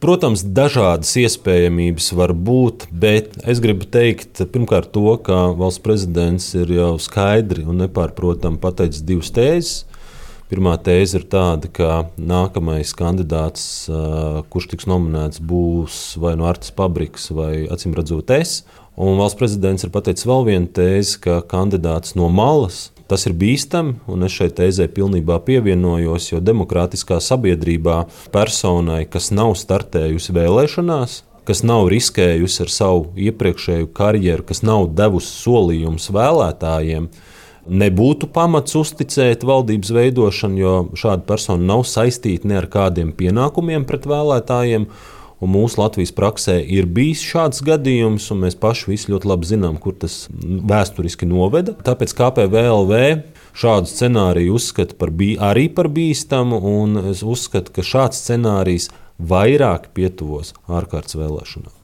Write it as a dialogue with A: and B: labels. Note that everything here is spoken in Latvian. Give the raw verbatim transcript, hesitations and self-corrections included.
A: Protams, dažādas iespējamības var būt, bet es gribu teikt, pirmkārt, to, ka valsts prezidents ir jau skaidri un nepārprotami pateicis divas tēzes. Pirmā tēze ir tāda, ka nākamais kandidāts, kurš tiks nominēts, būs vai no Artis Pabriks, vai acīm redzot es. Un valsts prezidents ir pateicis vēl vienu tēzi, ka kandidāts no malas. Tas ir bīstami, un es šai tēzē pilnībā pievienojos, jo demokrātiskā sabiedrībā personai, kas nav startējusi vēlēšanās, kas nav riskējusi ar savu iepriekšēju karjeru, kas nav devusi solījumus vēlētājiem, nebūtu pamats uzticēt valdības veidošanu, jo šāda persona nav saistīta ne ar kādiem pienākumiem pret vēlētājiem. Un mūsu Latvijas praksē ir bijis šāds gadījums, un mēs paši visi ļoti labi zinām, kur tas vēsturiski noveda. Tāpēc K P V L V šādu scenāriju uzskata par bī, arī par bīstamu, un es uzskatu, ka šāds scenārijs vairāk pietuvos ārkārtas vēlēšanām.